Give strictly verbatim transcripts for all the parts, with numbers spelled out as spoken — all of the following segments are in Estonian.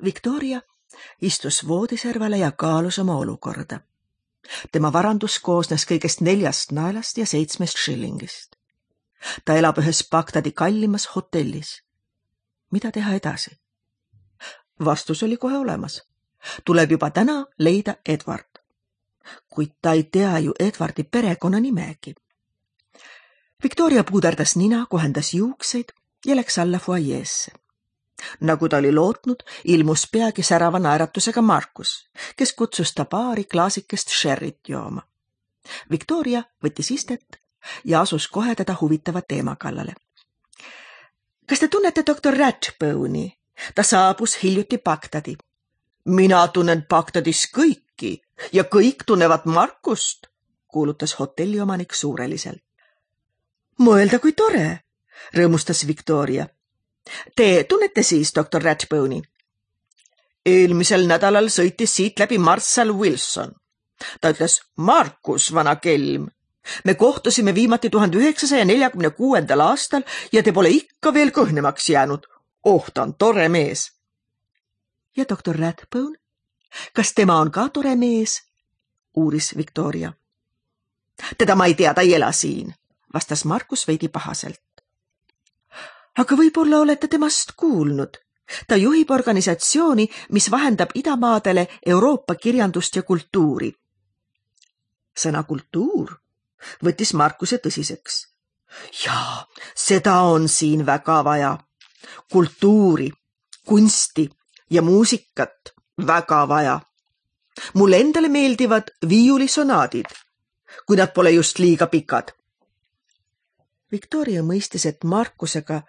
Victoria istus voodiservale ja kaalus oma olukorda. Tema varandus koosnes kõigest neljast naelast ja seitsmest shillingist. Ta elab ühes Bagdadi kallimas hotellis. Mida teha edasi? Vastus oli kohe olemas. Tuleb juba täna leida Edward. Kuid ta ei tea ju Edwardi perekonna nimegi. Victoria puuderdas nina, kohendas juukseid ja läks alla foajeesse. Nagu ta oli lootnud, ilmus peagi särava naeratusega Markus, kes kutsus ta baari klaasikest sherrit jooma. Victoria võttis istet ja asus kohe teda huvitava teema kallale. Kas te tunnete doktor Ratbone'i? Ta saabus hiljuti Bagdadi. Mina tunnen Bagdadis kõiki ja kõik tunnevad Markust, kuulutas hotelliomanik suureliselt. Mõelda kui tore, rõõmustas Victoria. Te tunnete siis doktor Ratbone'i? Eelmisel nädalal sõitis siit läbi Marshall Wilson. Ta ütles, Markus, vana kelm. Me kohtusime viimati tuhande üheksasaja neljakümne kuuendal aastal ja te pole ikka veel kõhnemaks jäänud. Oh, ta on tore mees. Ja doktor Ratbone? Kas tema on ka tore mees? Uuris Victoria. Teda ma ei tea, ta ei ela siin, vastas Markus veidi pahaselt. Aga võib-olla olete temast kuulnud. Ta juhib organisatsiooni, mis vahendab idamaadele Euroopa kirjandust ja kultuuri. Sõna kultuur võttis Markuse tõsiseks. Jaa, seda on siin väga vaja. Kultuuri, kunsti ja muusikat väga vaja. Mulle endale meeldivad viiulisonaadid, kui nad pole just liiga pikad. Victoria mõistis, et Markusega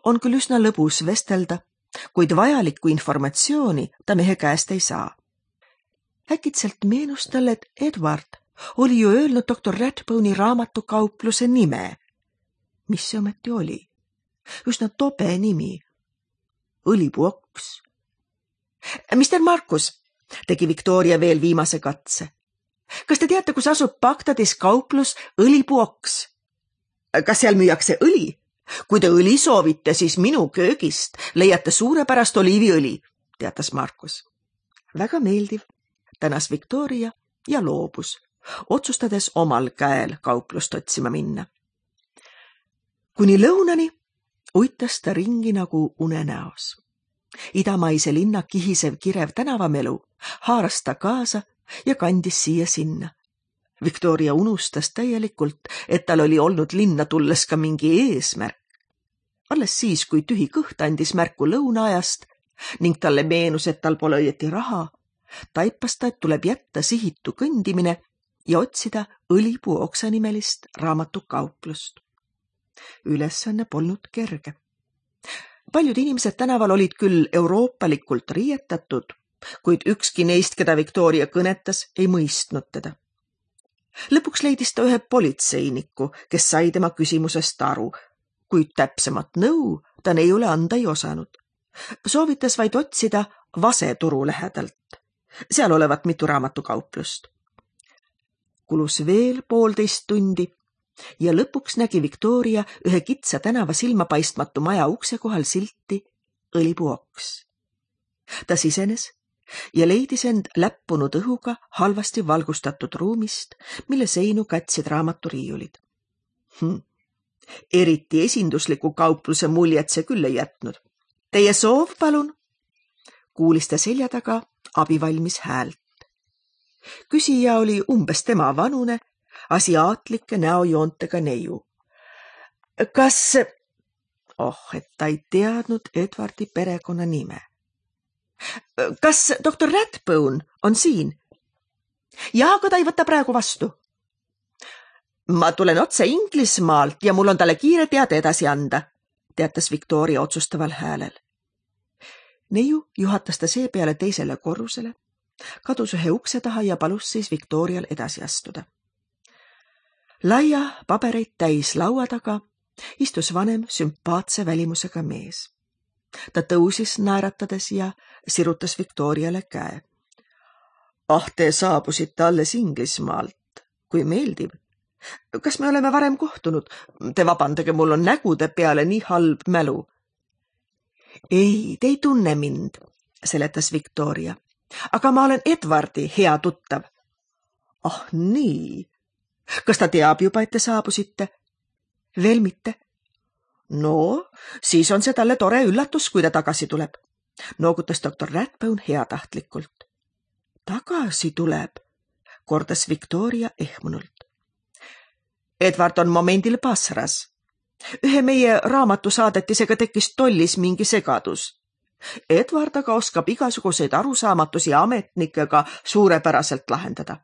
on küll üsna lõbus vestelda, kuid vajalikku informatsiooni ta mehe käest ei saa. Äkitselt meenus talle, et Edward oli ju öelnud doktor Ratbone'i raamatukaupluse nime. Mis see ometi oli? Üsna tobe nimi. Õlipuoks. Mister Markus, tegi Victoria veel viimase katse. Kas te teate, kus asub Bagdadis kauplus Õlipuoks? Kas seal müüakse õli? Kui te õli soovite, siis minu köögist leiate suurepärast oliiviõli, teatas Markus. Väga meeldiv, tänas Victoria ja loobus, otsustades omal käel kauplust otsima minna. Kuni lõunani uitas ta ringi nagu unenäos. Idamaise linna kihisev kirev tänavamelu haaras ta kaasa ja kandis siia sinna. Victoria unustas täielikult, et tal oli olnud linna tulles ka mingi eesmärk. Alles siis, kui tühi kõht andis märku lõunaajast ning talle meenus, et tal pole õieti raha, taipas ta, et tuleb jätta sihitu kõndimine ja otsida Õlipuu oksanimelist raamatukauplust. Ülesanne polnud kerge. Paljud inimesed tänaval olid küll euroopalikult riietatud, kuid ükski neist, keda Victoria kõnetas, ei mõistnud teda. Lõpuks leidis ta ühe politseiniku, kes sai tema küsimusest aru, kuid täpsemat nõu ta neiule anda ei osanud. Soovitas vaid otsida Vaseturu lähedalt. Seal olevat mitu raamatukauplust. Kulus veel poolteist tundi ja lõpuks nägi Victoria ühe kitsa tänava silmapaistmatu maja ukse kohal silti Õlipuoks. Ta sisenes ja leidis end läppunud õhuga halvasti valgustatud ruumist, mille seinu katsid raamaturiiulid. Hm. Eriti esindusliku kaupluse muljet see küll ei jätnud. Teie soov, palun? Kuulis ta selja taga abivalmis häält. Küsija oli umbes tema vanune, asiaatlike näojoontega neiu. Kas... Oh, et ta ei teadnud Edwardi perekonna nime. Kas doktor Ratbone on siin? Jaa, aga ta ei võta praegu vastu. Ma tulen otse Inglismaalt ja mul on talle kiire teade edasi anda, teatas Victoria otsustaval häälel. Neiu juhatas ta seepeale teisele korrusele, kadus ühe ukse taha ja palus siis Victorial edasi astuda. Laia pabereid täis laua taga istus vanem sümpaatse välimusega mees. Ta tõusis naeratades ja sirutas Victoriale käe. Ah, te saabusite alles Inglismaalt. Kui meeldiv. Kas me oleme varem kohtunud? Te vabandage, mul on nägude peale nii halb mälu. Ei, te ei tunne mind. seletas Victoria. Aga ma olen Edwardi hea tuttav. Ah nii. Kas ta teab juba, et te saabusite? Veel mitte. No, siis on see talle tore üllatus, kui ta tagasi tuleb. Noogutas doktor Rathbone heatahtlikult. Tagasi tuleb, kordas Victoria ehmunult. Edward on momendil Basras. Ühe meie raamatusaadetisega tekkis tollis mingi segadus. Edward aga oskab igasuguseid arusaamatusi ametnikega suurepäraselt lahendada.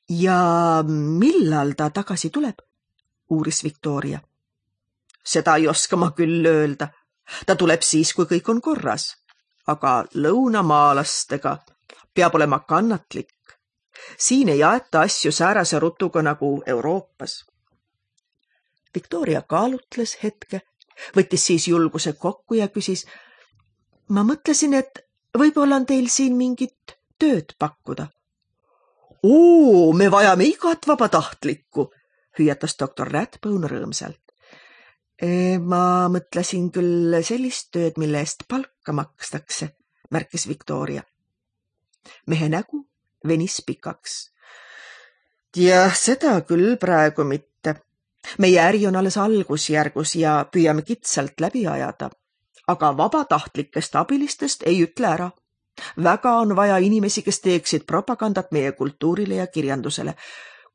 Ja millal ta tagasi tuleb? Uuris Victoria. Seda ei oska ma küll öelda. Ta tuleb siis, kui kõik on korras. Aga lõunamaalastega peab olema kannatlik. Siin ei aeta asju säärase rutuga nagu Euroopas. Victoria kaalutles hetke, võttis siis julguse kokku ja küsis, ma mõtlesin, et võib-olla on teil siin mingit tööd pakkuda. Oo, me vajame igat vabatahtlikku, hüüatas doktor Rathbone rõõmsalt. E, ma mõtlesin küll sellist tööd, mille eest palka makstakse, märkis Victoria. Mehe nägu venis pikaks. Ja seda küll praegu mitte. Meie äri on alles algusjärgus ja püüame kitsalt läbi ajada. Aga vabatahtlikest abilistest ei ütle ära. Väga on vaja inimesi, kes teeksid propagandat meie kultuurile ja kirjandusele,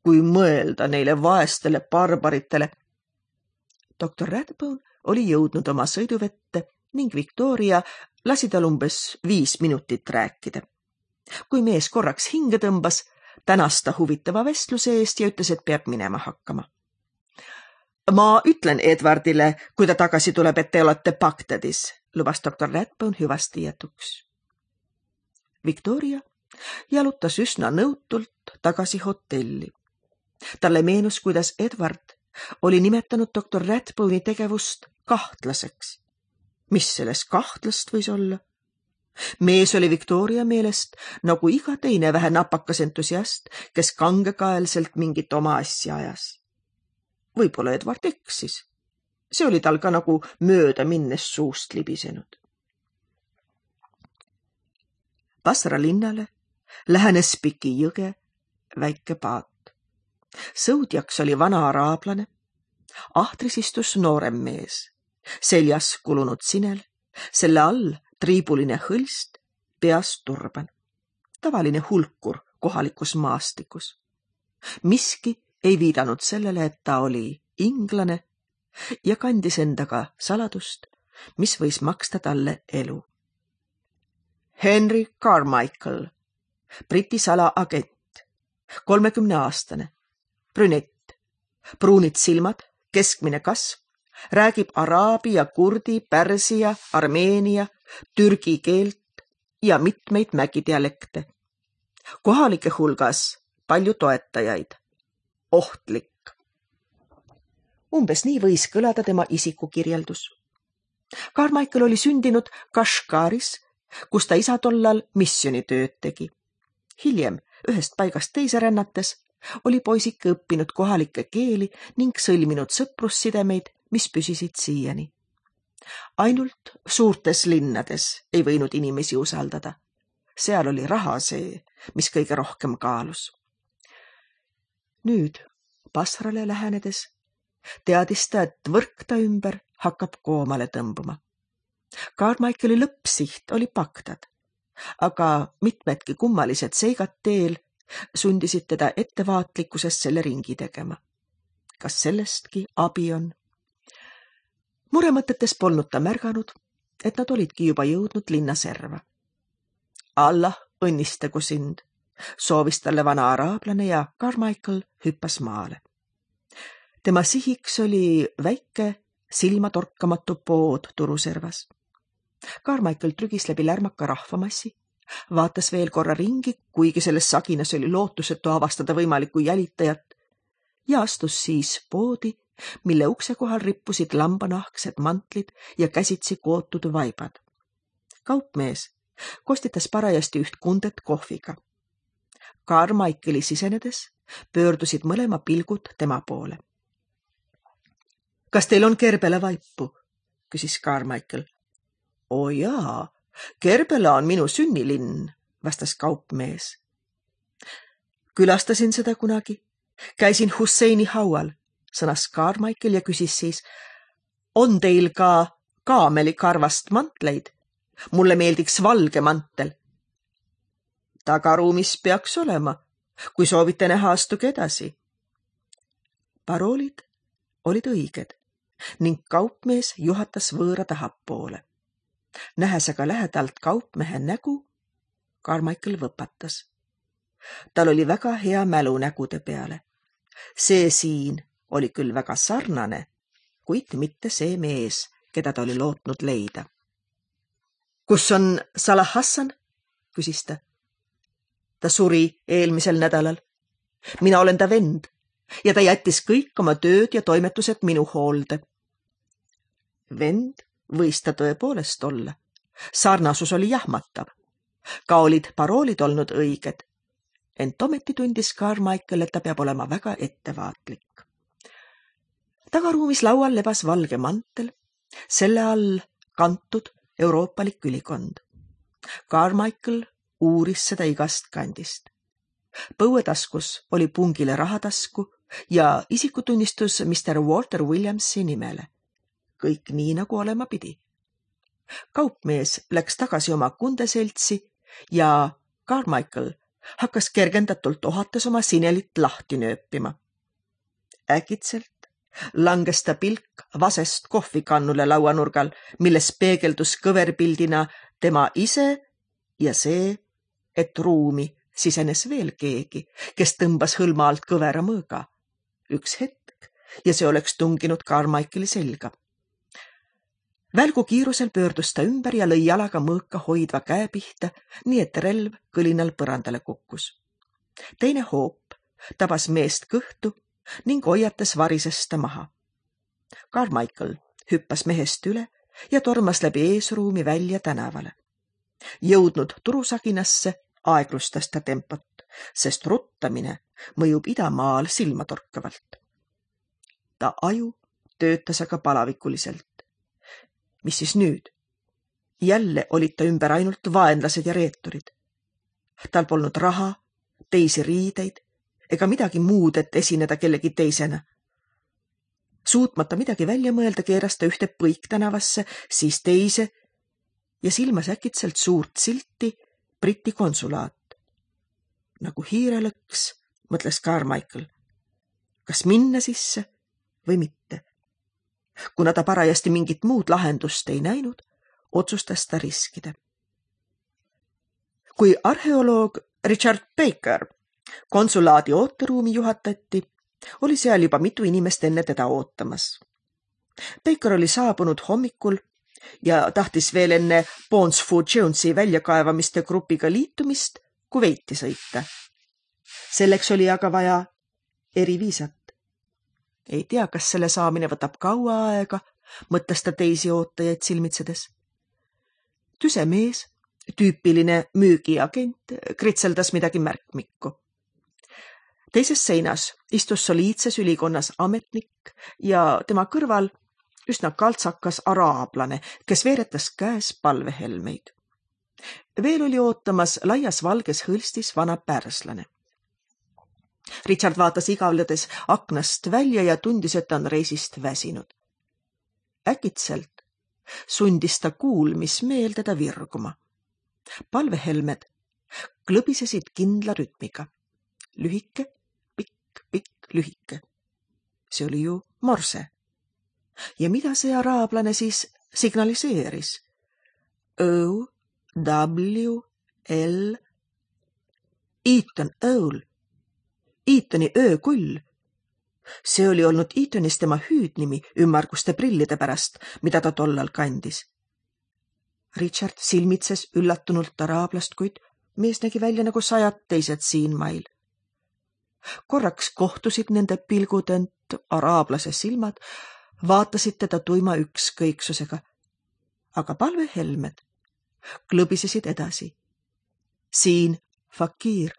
kui mõelda neile vaestele barbaritele. doktor Rathbone oli jõudnud oma sõiduvette ning Victoria lasi tal umbes viis minutit rääkida. Kui mees korraks hinge tõmbas, tänas ta huvitava vestluse eest ja ütles, et peab minema hakkama. Ma ütlen Edwardile, kui ta tagasi tuleb, et te olete Bagdadis, lubas doktor Rathbone hüvasti jätuks. Victoria jalutas üsna nõutult tagasi hotelli. Talle meenus, kuidas Edward oli nimetanud doktor Rathbone'i tegevust kahtlaseks. Mis selles kahtlast võis olla? Mees oli Victoria meelest nagu iga teine vähe napakas entusiast, kes kangekaelselt mingit oma asja ajas. Võib-olla Edward eksis. See oli tal ka nagu mööda minnes suust libisenud. Basra linnale lähenes Piki jõge väike paat. Sõudjaks oli vana araablane. Ahtris istus noorem mees. Seljas kulunud sinel, selle all triibuline hõlst, peas turban. Tavaline hulkur kohalikus maastikus. Miski ei viidanud sellele, et ta oli inglane ja kandis endaga saladust, mis võis maksta talle elu. Henry Carmichael, Briti salaagent, kolmekümne aastane, brünett, pruunid silmad, keskmine kasv, räägib araabi ja kurdi, pärsia, armeenia, türgi keelt ja mitmeid mägidialekte. Kohalike hulgas palju toetajaid. Ohtlik. Umbes nii võis kõlada tema isikukirjeldus. Carmichael oli sündinud Kashgaris, kus ta isa tollal missionitööd tegi. Hiljem, ühest paigast teise rännates, oli poisike õppinud kohalikke keeli ning sõlminud sõprussidemeid, mis püsisid siiani. Ainult suurtes linnades ei võinud inimesi usaldada. Seal oli raha see, mis kõige rohkem kaalus. Nüüd, Basrale lähenedes, teadis ta, et võrk ta ümber hakkab koomale tõmbuma. Carmichaeli lõppsiht oli Bagdad, aga mitmedki kummalised seigad teel sundisid teda ettevaatlikkusest selle ringi tegema. Kas sellestki abi on? Muremõtetes polnud ta märganud, et nad olidki juba jõudnud linna serva. Allah õnnistagu sind, soovis talle vana araablane ja Carmichael hüppas maale. Tema sihiks oli väike, silmatorkamatu pood turuservas. Carmichael trügis läbi lärmaka rahvamassi, vaatas veel korra ringi, kuigi selles saginas oli lootusetu avastada võimalikku jälitajat, ja astus siis poodi, mille ukse kohal rippusid lambanahksed mantlid ja käsitsi kootud vaibad. Kaupmees kostitas parajasti üht kundet kohviga. Carmichaeli sisenedes pöördusid mõlema pilgud tema poole. Kas teil on kerbele vaipu? Küsis Carmichael. O jaa, Kerbela on minu sünnilinn, vastas kaupmees. Külastasin seda kunagi. Käisin Husseini haual, sõnas Carmichael ja küsis siis, on teil ka kaamelikarvast mantleid? Mulle meeldiks valge mantel. Tagaruumis peaks olema. Kui soovite näha, astuge edasi. Paroolid olid õiged ning kaupmees juhatas võõra tahapoole. Nähes aga lähedalt kaupmehe nägu, Carmichael võpatas. Tal oli väga hea mälu nägude peale. See siin oli küll väga sarnane, kuid mitte see mees, keda ta oli lootnud leida. Kus on Salah Hassan? Küsis ta. Ta suri eelmisel nädalal. Mina olen ta vend ja ta jättis kõik oma tööd ja toimetused minu hoolde. Vend võis ta tõepoolest olla. Sarnasus oli jahmatav. Ka olid paroolid olnud õiged. Ent ometi tundis Carmichael, et ta peab olema väga ettevaatlik. Tagaruumis laual lebas valge mantel, selle all kantud euroopalik ülikond. Carmichael uuris seda igast kandist. Põuetaskus oli pungile rahatasku ja isikutunnistus mister Walter Williamsi nimele. Kõik nii, nagu olema pidi. Kaupmees läks tagasi oma kundeseltsi ja Carmichael hakkas kergendatult ohates oma sinelit lahti nööpima. Äkitselt langes ta pilk vasest kohvikannule lauanurgal, milles peegeldus kõverpildina tema ise ja see, et ruumi sisenes veel keegi, kes tõmbas hõlma alt kõvera mõõga. Üks hetk ja see oleks tunginud Carmichaeli selga. Välgu kiirusel pöördus ta ümber ja lõi jalaga mõõka hoidva käe pihta, nii et relv kõlinal põrandale kukkus. Teine hoop tabas meest kõhtu ning hoiates varises ta maha. Carmichael hüppas mehest üle ja tormas läbi eesruumi välja tänavale. Jõudnud turusaginasse aeglustas ta tempot, sest ruttamine mõjub idamaal silmatorkavalt. Ta aju töötas aga palavikuliselt. Mis siis nüüd? Jälle olid ta ümber ainult vaenlased ja reeturid. Tal polnud raha, teisi riideid ega midagi muud, et esineda kellegi teisena. Suutmata midagi välja mõelda, keeras ta ühte põiktänavasse, siis teise ja silmas äkitselt suurt silti Briti konsulaat. Nagu hiirelõks, mõtles Carmichael. Kas minna sisse või mitte? Kuna ta parajasti mingit muud lahendust ei näinud, otsustas ta riskida. Kui arheoloog Richard Baker konsulaadi ooteruumi juhatati, oli seal juba mitu inimest enne teda ootamas. Baker oli saabunud hommikul ja tahtis veel enne Bonesford Jonesi väljakaevamiste grupiga liitumist Kuveiti sõita. Selleks oli aga vaja eriviisat. Ei tea, kas selle saamine võtab kaua aega, mõtles ta teisi ootajaid silmitsedes. Tüse mees, tüüpiline müügiagent, kritseldas midagi märkmikku. Teises seinas istus soliidses ülikonnas ametnik ja tema kõrval üsna kaltsakas araablane, kes veeretas käes palvehelmeid. Veel oli ootamas laias valges hõlstis vana pärslane. Richard vaatas igavledes aknast välja ja tundis, et ta on reisist väsinud. Äkitselt sundis ta kuulmismeel teda virguma. Palvehelmed klõbisesid kindla rütmiga. Lühike, pikk, pikk, lühike. See oli ju morse. Ja mida see araablane siis signaliseeris? O, W, L, Eaton Owl. Eatoni öökull. See oli olnud Eatonis tema hüüdnimi ümmarguste prillide pärast, mida ta tollal kandis. Richard silmitses üllatunult araablast, kuid mees nägi välja nagu sajad teised siin mail. Korraks kohtusid nende pilgud, ent araablase silmad vaatasid teda tuima ükskõiksusega, aga palvehelmed klõbisesid edasi. Siin, fakiir,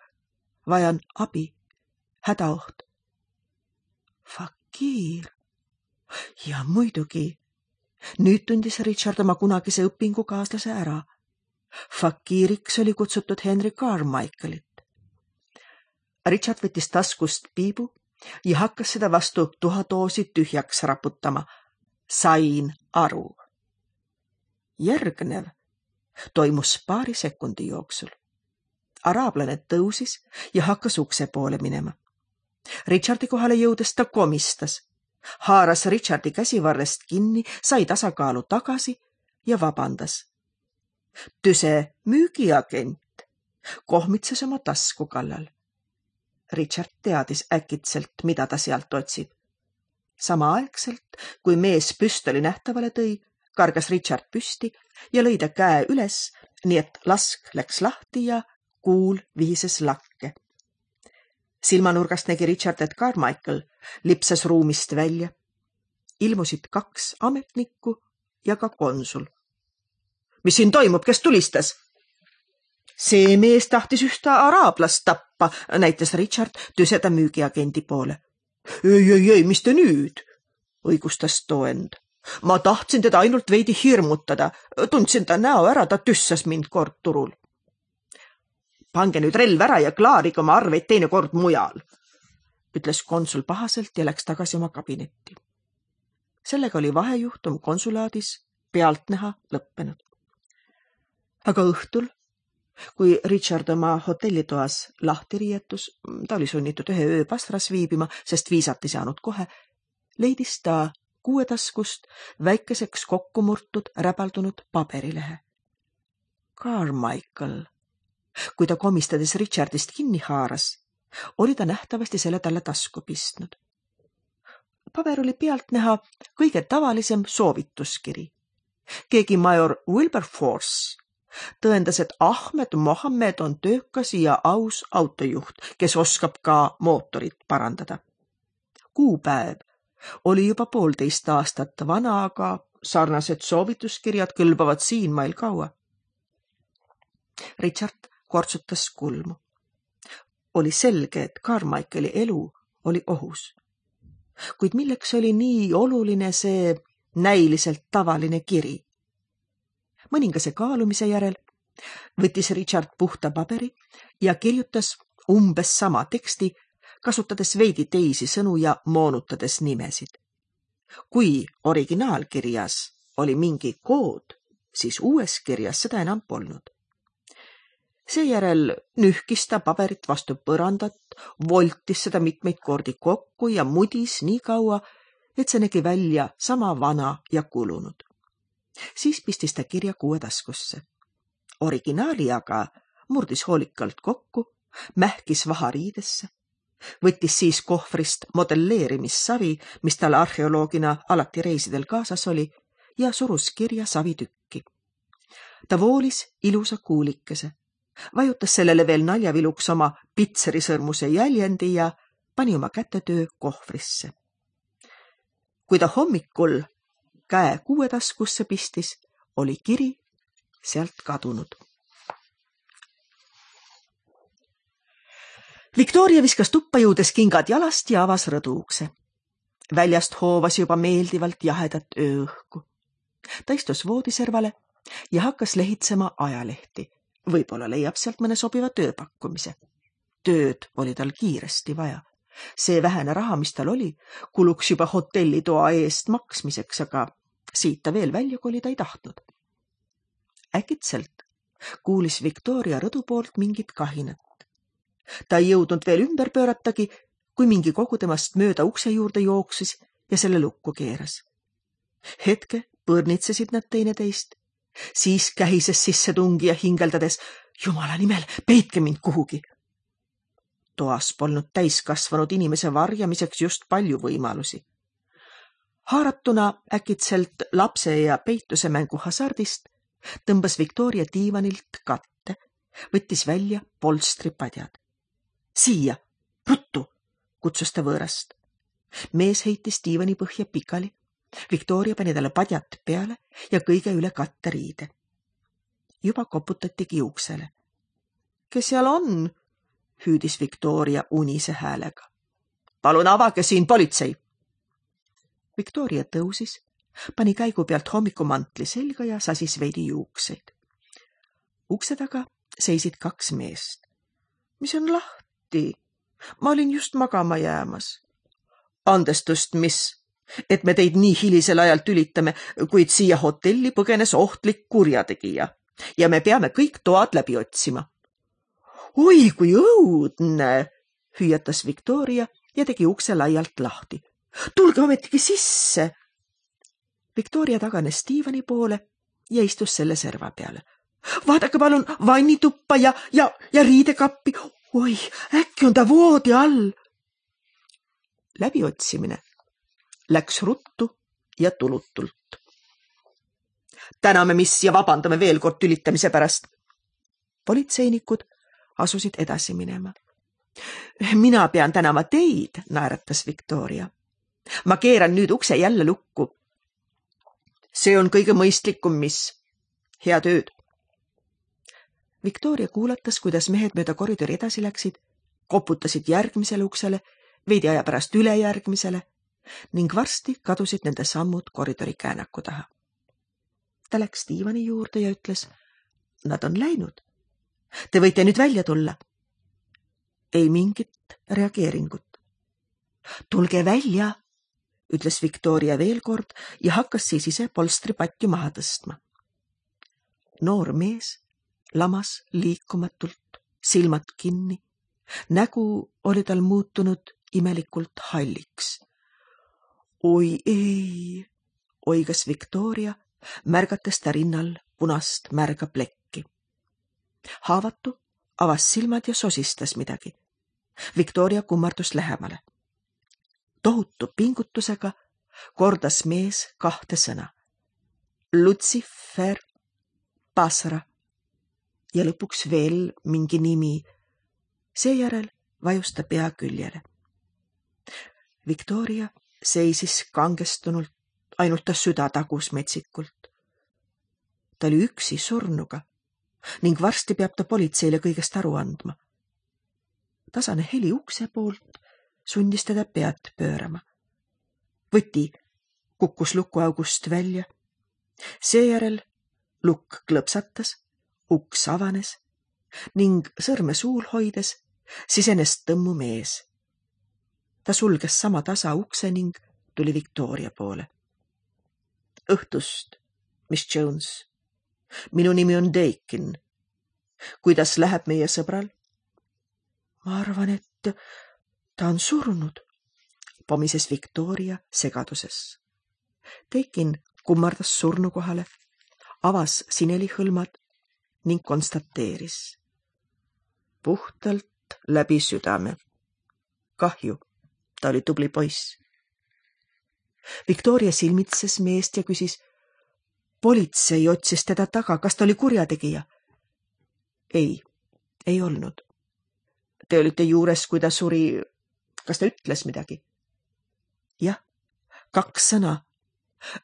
vajan abi. Hädaoht. Fakiir. Ja muidugi. Nüüd tundis Richard oma kunagise õpingukaaslase ära. Fakiiriks oli kutsutud Henry Carmichaelit. Richard võttis taskust piibu ja hakkas seda vastu tuhadoosi tühjaks raputama. Sain aru. Järgnev toimus paari sekundi jooksul. Araablane tõusis ja hakkas ukse poole minema. Richardi kohale jõudes ta komistas, haaras Richardi käsivarrest kinni, sai tasakaalu tagasi ja vabandas. Tüse müügiagent kohmitses oma tasku kallal. Richard teadis äkitselt, mida ta sealt otsib. Samaaegselt, kui mees püstoli nähtavale tõi, kargas Richard püsti ja lõi ta käe üles, nii et lask läks lahti ja kuul vihises lakke. Silmanurgast nägi Richard, et Carmichael lipsas ruumist välja. Ilmusid kaks ametnikku ja ka konsul. Mis siin toimub, kes tulistas? See mees tahtis ühte araablast tappa, näitas Richard tüseda müügiagendi poole. Ei, ei, ei, mis te nüüd? Õigustas too end. Ma tahtsin teda ainult veidi hirmutada. Tundsin ta näo ära, ta tüssas mind kord turul. Pange nüüd relv ära ja klaarige oma arveid teine kord mujal, ütles konsul pahaselt ja läks tagasi oma kabinetti. Sellega oli vahejuhtum konsulaadis pealtnäha lõppenud. Aga õhtul, kui Richard oma hotellitoas lahti riietus, ta oli sunnitud ühe öö Basras viibima, sest viisat ei saanud kohe, leidis ta kuuetaskust väikeseks kokkumurtud räbaldunud paberilehe. Carmichael. Kui ta komistades Richardist kinni haaras, oli ta nähtavasti selle talle tasku pistnud. Paber oli pealt näha kõige tavalisem soovituskiri. Keegi major Wilberforce tõendas, et Ahmed Mohammed on töökas ja aus autojuht, kes oskab ka mootorit parandada. Kuupäev oli juba poolteist aastat vana, aga sarnased soovituskirjad kõlbavad siin meil kaua. Richard kortsutas kulmu. Oli selge, et Carmichaeli elu oli ohus. Kuid milleks oli nii oluline see näiliselt tavaline kiri? Mõningase kaalumise järel võttis Richard puhta paberi ja kirjutas umbes sama teksti, kasutades veidi teisi sõnu ja moonutades nimesid. Kui originaalkirjas oli mingi kood, siis uues kirjas seda enam polnud. Seejärel nühkis ta paberit vastu põrandat, voltis seda mitmeid kordi kokku ja mudis nii kaua, et see nägi välja sama vana ja kulunud. Siis pistis ta kirja kuuetaskusse. Originaali aga murdis hoolikalt kokku, mähkis vahariidesse, võttis siis kohvrist modelleerimissavi, mis tal arheoloogina alati reisidel kaasas oli, ja surus kirja savitükki. Ta voolis ilusa kuulikese, vajutas sellele veel naljaviluks oma pitserisõrmuse jäljendi ja pani oma kätetöö kohvrisse. Kui ta hommikul käe kuuetaskusse pistis, oli kiri sealt kadunud. Victoria viskas tuppa jõudes kingad jalast ja avas rõduukse. Väljast hoovas juba meeldivalt jahedat ööõhku. Ta istus voodiservale ja hakkas lehitsema ajalehti. Võib-olla leiab sealt mõne sobiva tööpakkumise. Tööd oli tal kiiresti vaja. See vähene raha, mis tal oli, kuluks juba hotellitoa eest maksmiseks, aga siit ta veel välja kolida ei tahtnud. Äkitselt kuulis Victoria rõdu poolt mingit kahinat. Ta ei jõudnud veel ümber pööratagi, kui mingi kogu temast mööda ukse juurde jooksis ja selle lukku keeras. Hetke põrnitsesid nad teineteist. Siis kähises sisse tungi ja hingeldades, jumala nimel, peitke mind kuhugi. Toas polnud täiskasvanud inimese varjamiseks just palju võimalusi. Haaratuna äkitselt lapse ja peituse mängu hasardist tõmbas Victoria diivanilt katte, võttis välja polstripadjad. Siia, ruttu, kutsus ta võõrast. Mees heitis diivani põhja pikali. Victoria pani talle padjad peale ja kõige üle katteriide. Juba koputatigi uksele. Kes seal on? Hüüdis Victoria unise häälega. Palun avage siin politsei! Victoria tõusis, pani käigu pealt hommikumantli selga ja sasis veidi juukseid. Ukse taga seisid kaks meest. Mis on lahti? Ma olin just magama jäämas. Andestust, mis, et me teid nii hilisel ajal tülitame, kuid siia hotelli põgenes ohtlik kurjategija ja me peame kõik toad läbi otsima. Oi, kui õudne, hüüatas Victoria ja tegi ukse laialt lahti. Tulge ometigi sisse! Victoria taganes diivani poole ja istus selle serva peale. Vaadake palun vannituppa ja, ja, ja riidekappi. Oi, äkki on ta voodi all. Läbiotsimine läks ruttu ja tulutult. Täname, mis ja vabandame veel kord tülitamise pärast. Politseinikud asusid edasi minema. Mina pean tänama teid, naeratas Victoria. Ma keeran nüüd ukse jälle lukku. See on kõige mõistlikum, mis. Hea tööd. Victoria kuulatas, kuidas mehed mööda koridori edasi läksid, koputasid järgmisele uksele, veidi aja pärast üle järgmisele ning varsti kadusid nende sammud koridori käänaku taha. Ta läks diivani juurde ja ütles, nad on läinud. Te võite nüüd välja tulla. Ei mingit reageeringut. Tulge välja, ütles Victoria veel kord ja hakkas siis ise polstripatju maha tõstma. Noor mees lamas liikumatult, silmad kinni. Nägu oli tal muutunud imelikult halliks. Oi ei, oigas Victoria, märgates ta rinnal punast märga plekki. Haavatu avas silmad ja sosistas midagi. Victoria kummardus lähemale. Tohutu pingutusega kordas mees kahte sõna. Lucifer, Basra ja lõpuks veel mingi nimi. Seejärel vajus ta pea küljele. Victoria seisis kangestunult, ainult ta süda tagus metsikult. Ta oli üksi surnuga ning varsti peab ta politseile kõigest aru andma. Tasane heli ukse poolt sundis teda pead pöörama. Võti kukkus lukuaugust välja. Seejärel lukk klõpsatas, uks avanes ning sõrme suul hoides sisenes tõmmu mees. Ta sulges sama tasa ukse ning tuli Victoria poole. Õhtust, Miss Jones. Minu nimi on Dakin. Kuidas läheb meie sõbral? Ma arvan, et ta on surnud, pomises Victoria segaduses. Dakin kummardas surnu kohale, avas sinelihõlmad ning konstateeris. Puhtalt läbi südame. Kahju, ta oli tubli poiss. Victoria silmitses meest ja küsis, politsei otsis teda taga, kas ta oli kurjategija? Ei, ei olnud. Te olite juures, kui ta suri, kas ta ütles midagi? Jah, kaks sõna,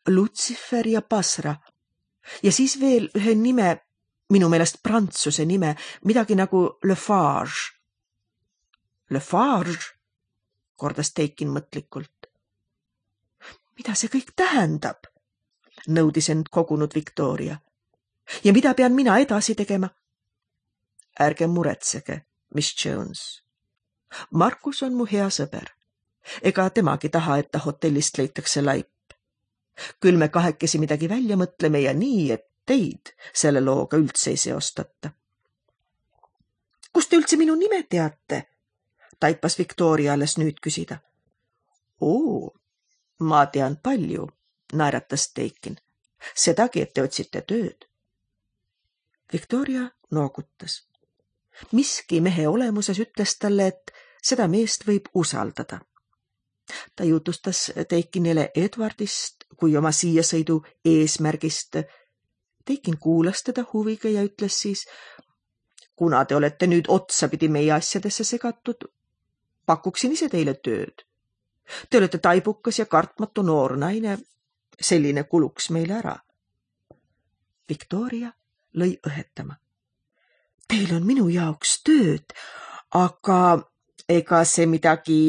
Lucifer ja Basra ja siis veel ühe nime, minu meelest prantsuse nime, midagi nagu Le Farge. Le Farge, kordas Dakin mõtlikult. Mida see kõik tähendab? Nõudis end kogunud Victoria. Ja mida pean mina edasi tegema? Ärge muretsege, Miss Jones. Markus on mu hea sõber. Ega temagi taha, et ta hotellist leitakse laip. Küll me kahekesi midagi välja mõtleme ja nii, et teid selle looga üldse ei seostata. Kust te üldse minu nime teate? Taipas Victoria alles nüüd küsida. Oo, ma tean palju, naeratas Dakin. Sedagi, et te otsite tööd. Victoria noogutas. Miski mehe olemuses ütles talle, et seda meest võib usaldada. Ta jutustas Dakinile Edwardist kui oma siiasõidu eesmärgist. Dakin kuulas teda huviga ja ütles siis, kuna te olete nüüd otsapidi meie asjadesse segatud, pakuksin ise teile tööd. Te olete taibukas ja kartmatu noor naine, selline kuluks meile ära. Victoria lõi õhetama. Teil on minu jaoks tööd, aga ega see midagi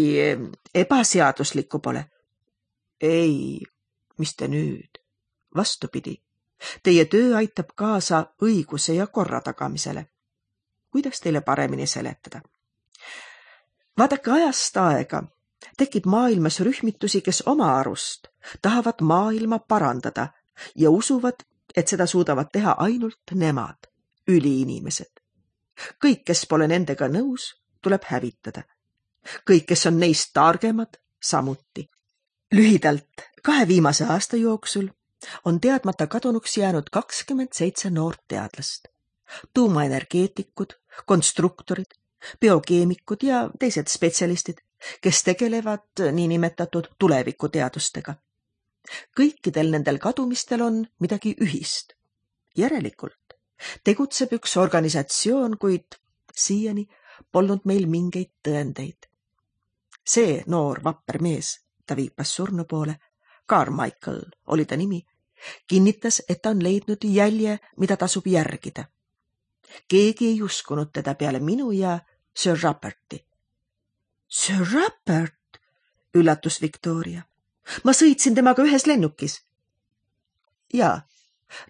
ebaseaduslikku pole. Ei, mis te nüüd? Vastupidi, Teie töö aitab kaasa õiguse ja korra tagamisele. Kuidas teile paremini seletada? Vaadake, ajast aega tekib maailmas rühmitusi, kes oma arust tahavad maailma parandada ja usuvad, et seda suudavad teha ainult nemad, üliinimesed. Kõik, kes pole nendega nõus, tuleb hävitada. Kõik, kes on neist targemad, samuti. Lühidalt, kahe viimase aasta jooksul on teadmata kadunuks jäänud kakskümmend seitse noort teadlast. Tuumaenergeetikud, konstruktorid, biokeemikud ja teised spetsialistid, kes tegelevad niinimetatud tulevikuteadustega. Kõikidel nendel kadumistel on midagi ühist. Järelikult tegutseb üks organisatsioon, kuid siiani polnud meil mingeid tõendeid. See noor vapper mees, ta viipas surnu poole, Carmichael oli ta nimi, kinnitas, et ta on leidnud jälje, mida tasub järgida. Keegi ei uskunud teda peale minu ja Sir Ruperti. Sir Rupert, üllatus Victoria. Ma sõitsin temaga ühes lennukis. Ja,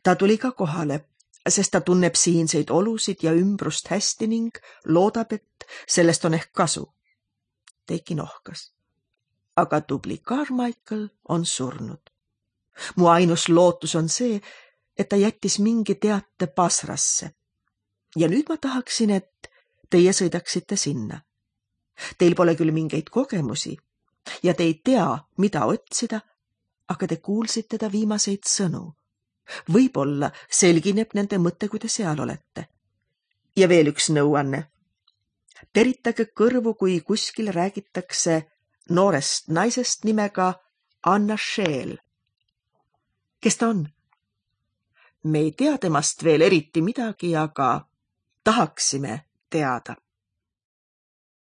ta tuli ka kohale, sest ta tunneb siinseid olusid ja ümbrust hästi ning loodab, et sellest on ehk kasu. Teiki nohkas. Aga tubli Carmichael on surnud. Mu ainus lootus on see, et ta jättis mingi teate Basrasse. Ja nüüd ma tahaksin, et teie sõidaksite sinna. Teil pole küll mingeid kogemusi ja te ei tea, mida otsida, aga te kuulsite ta viimaseid sõnu. Võib-olla selgineb nende mõte, kui te seal olete. Ja veel üks nõuanne. Teritage kõrvu, kui kuskil räägitakse noorest naisest nimega Anna Scheel. Kes ta on? Me ei tea temast veel eriti midagi, aga tahaksime teada.